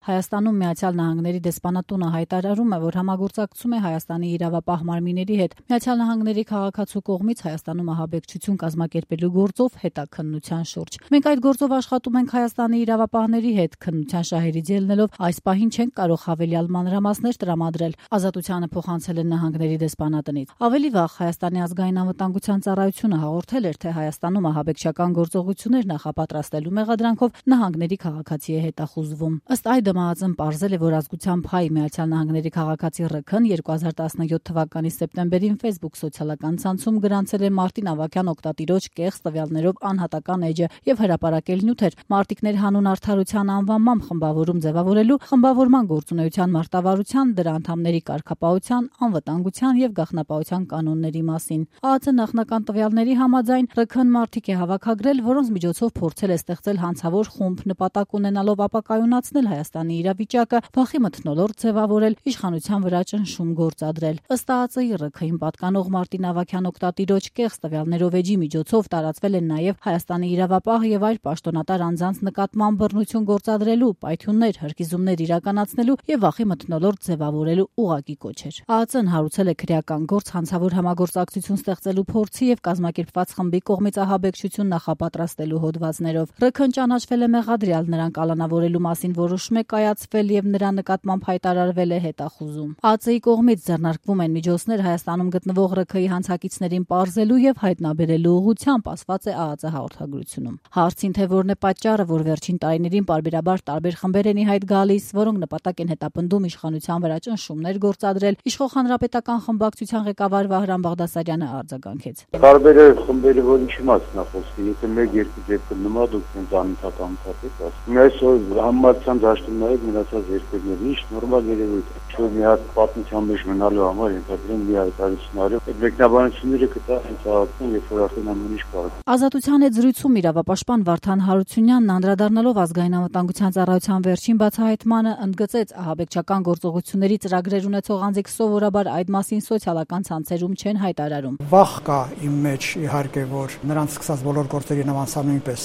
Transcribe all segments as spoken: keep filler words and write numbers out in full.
Հայաստանում Միացյալ Նահանգների դեսպանատունը հայտարարում է, որ համագործակցում է Հայաստանի իրավապահ մարմինների հետ Միացյալ Նահանգների քաղաքացու կողմից Հայաստանում ահաբեկչություն կազմակերպելու գործով հետաքննության շուրջ։ Մենք այդ գործով աշխատում ենք Հայաստանի իրավապահների հետ, քննության շահերից ելնելով այս պահին չենք կարող հավելյալ մանրամասներ տրամադրել, Ազատությանը փոխանցել են նահանգների դեսպանատնից։ Ավելի վաղ Հայաստանի ազգային անվտանգության ծառայությունը հաղորդել էր, թե Հայաստանում ահաբեկչական գործողություններ նախապատրաստելու մեղադրանքով նահանգների քաղաքացի է հետախուզվում։ Ըստ այդ Դմաձն պարզել է, որ ազգությամբ հայ Միացյալ Նահանգների քաղաքացի Ռ-ն երկու հազար տասնյոթ թվականի սեպտեմբերին Facebook սոցիալական ցանցում գրանցել է Մարտին Ավագյան օգտատիրոջ կեղծ տվյալներով անհատական էջը եւ հրապարակել նյութեր Մարտիկներ հանուն արդարության անվանմամբ խմբավորում ձևավորելու, խմբավորման գործունեության մարտավարության, դրա անդամների կարգապահության, անվտանգության եւ գաղտնապահության կանոնների մասին։ ԱԱԾ նախնական տվյալների համաձայն Ռ-ն մարտիկ է հավաքագրել, որոնց միջոցով փորձել է ստեղծել հանցավոր խումբ, նպատակ ունենալով ապակայունացնել Հայաստանի իրավիճակը, վախի մթնոլորտ ձևավորել, իշխանության վրա ճնշում գործադրել։ Ըստ ԱԱԾ-ի Ռ-ին պատկանող Մարտին Ավագյան օգտատիրոջ կեղծ տվյալներով էջի միջոցով տարածվել են նաև Հայաստանի իրավապահ եւ այլ պաշտոնատար անձանց նկատմամբ բռնություն գործադրելու, պայթյուններ, հրկիզումներ իրականացնելու եւ վախի մթնոլորտ ձևավորելու ուղղակի կոչեր։ ԱԱԾ-ն հարուցել է քրեական գործ հանցավոր համագործակցություն ստեղծելու փորձի եւ կազմակերպված խմբի կողմից ահաբեկչություն նախապատրաստելու հոդվածներով։ Ռ-ն ճանաչվել է մեղադրյալ, նրան կալանավորելու մասին որոշում է կայացվել եւ նրա նկատմամբ հայտարարվել է հետախուզում։ ԱԱԾ-ի կողմից ձեռնարկվում են միջոցներ Հայաստանում գտնվող Ռ-ի հանցակիցներին պարզելու եւ հայտնաբերելու ուղղությամբ, ասված է ԱԱԾ հաղորդագրությունում։ Հարցին, թե որն է պատճառը, որ վերջին տարիներին պարբերաբար տարբեր խմբեր են ի հայտ գալիս, որոնք նպատակ են հետապնդում իշխանության վրա ճնշումներ գործադրել, Իշխող հանրապետական խմբակցության ղեկավար Վահրամ Բաղդասարյանը արձագանքեց։ Տարբեր խմբերը որ ինչի մասն է խոսքը, եթե մեկ-երկու դեպքում նման դուք ինձ անընդհատ անընդհատ եք ասում։ Այսօր համացան դաշտում նայեք մնացած երկրներ, ինչ նորմալ երևույթ է։ Չէ՞ մի հատ պատմության մեջ մնալու համար ենթադրեն մի հայտարարություն արել։ Այդ մեկնաբանությունները կտա հենց ԱԱԾ-ն, երբ որ արդեն ամեն ինչ կարող։ Ազատության հետ զրույցում իրավապաշտպան Վարդան Հարությունյանն անդրադառնալով ազգային անվտանգության ծառայության վերջին բացահայտմանը ընդգծեց, ահաբեկչական գործողությունների ծրագրեր ունեցող անձիկ սովորաբար այդ մասին սոցիալական ցանցերում չեն հայտարարում։ Վախ կա իմ մեջ իհարկե, որ նրանց սկսած բոլոր գործերի նմանսա նույնպես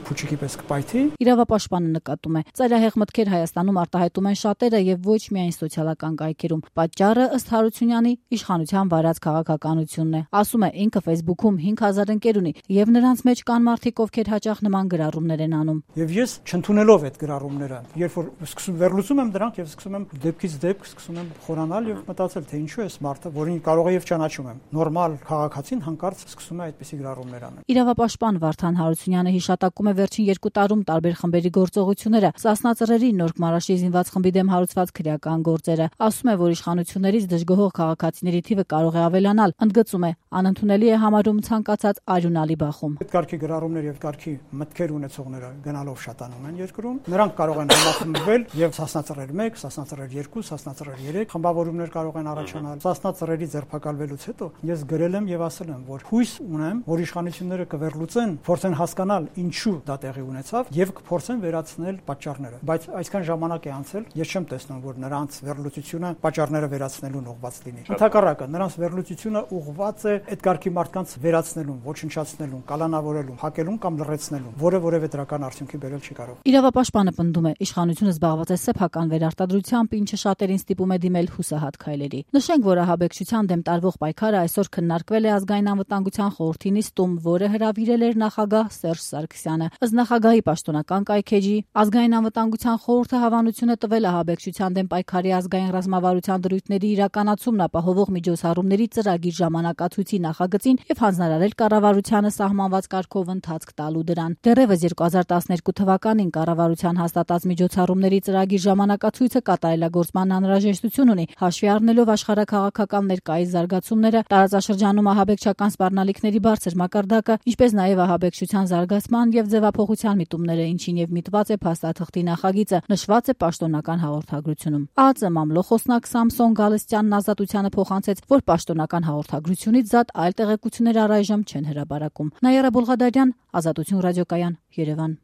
փուչիկի պես կպայթի։ Իրավապաշտպանը նկատում է, ծայրահեղ մտքեր Հայաստանում արտահայտում են շատերը եւ ոչ միայն սոցիալական կայքերում։ Պատճառը ըստ Հարությունյանի իշխանության վարած քաղաքականությունն է։ Ասում է, ինքը Facebook-ում հինգ հազար ընկեր ունի եւ նրանց մեջ կան մարդիկ, ովքեր հաճախ նման գրառումներ են անում։ Եվ ես չընդունելով այդ գրառումները, երբ որ սկսում վերլուծում եմ դրանք եւ սկսում եմ դեպքից դեպք սկսում եմ խորանալ եւ մտածել, թե ինչու է մարդը, որին կարող է եւ ճանաչում եմ, նորմալ քաղաքացին հանկարծ սկսում է այդպիսի գրառումներ անել։ Իրավապաշտպան Վարդան Հարությունյանը հիշատակում է վերջին երկու տարում տարբեր խմբերի գործողությունները, Սասնա Ծռերի Նորք Մարաշի զինված խմբի դեմ հարուցված քրեական գործերը։ Ասում է, որ իշխանություններից դժգոհող քաղաքացիների թիվը կարող է ավելանալ, ընդգծում է, անընդունելի է համարում ցանկացած արյունալի բախում։ Այդ կարգի գրառումներ եւ կարգի մտքեր ունեցողները գնալով շատանում են երկրում։ Նրանք կարող են համախմբվել եւ Սասնա Ծռեր մեկ, Սասնա Ծռեր երկու, Սասնա Ծռեր երեք խմբավորումներ կարող են առաջանալ։ Սասնա Ծռերի ձերբակալվելուց հետո ես գրել եմ եւ ասել եմ, որ հույս ունեմ, որ իշխանությունները կվերլուծեն, փորձեն հասկանալ ինչու դա տեղի ունեցավ եւ կփորձեն վերացնել պատճառները։ Բայց այսքան ժամանակ է անցել, ես չեմ տեսնում, որ նրանց վերլուծությունը պատճառները վերացնելուն ուղղված լինի։ Ընդհակառակը, նրանց վերլուծությունը ուղղված է այդ կարգի մարդկանց վերացնելուն, ոչնչացնելուն, կալանավորելուն, հակելուն կամ լրացնելուն, որը որևէ դրական արդյունքի բերել չի կարող։ Իրավապաշտպանը պնդում է, իշխանությունը զբաղված է սեփական վերարտադրությամբ, ինչը շատերին ստիպում է դիմել հուսահատ քայլերի։ Նշենք, որ ահաբեկչության դեմ տարվող պայքարը այսօր քննարկվել է ազգային անվտանգության խորհրդի նիստում, որը հրավիրել էր նախագահ Սերժ Սարգսյանը։ Ըստ նախագահի պաշտոնական կայքեջի, ազգային անվտանգության խորհուրդը հավանություն է տվել ահաբեկչության դեմ պայքարի ազգային ռազմավարության դրույթների իրականացումն ապահովող միջոցառումների ծրագիր ժամանակացույցի նախագծին եւ հանձնարարել կառավարությանը սահմանված կարգով ընթացք տալու դրան։ Դեռևս երկու հազար տասներկու թվականին կառավարության հաստատած միջոցառումների ծրագիր ժամանակացույցը կատարելագործման անհրաժեշտություն ունի, հաշվի առնելով աշխարհաքաղաքական ներկայիս զարգացումները, տարածաշրջանում ահաբեկչական սպառնալիքների բարձր մակարդակը, ինչպես նաեւ ահաբեկչության զարգացման եւ ձևափոխության միտումները, ինչին եւ միտված է փաստաթղթի նախագիծը, նշված է պաշտոնական հաղորդագրությունում։ ԱԱԾ մամլո խոսնակ Սամսոն Գալստյանն Ազատությանը փոխանցեց, որ պաշտոնական հաղորդագրությունից զատ այլ տեղեկություններ առայժմ չեն հրապարակում։ Նաիրա Բուլղադարյան, Ազատություն ռադիոկայան, Երևան։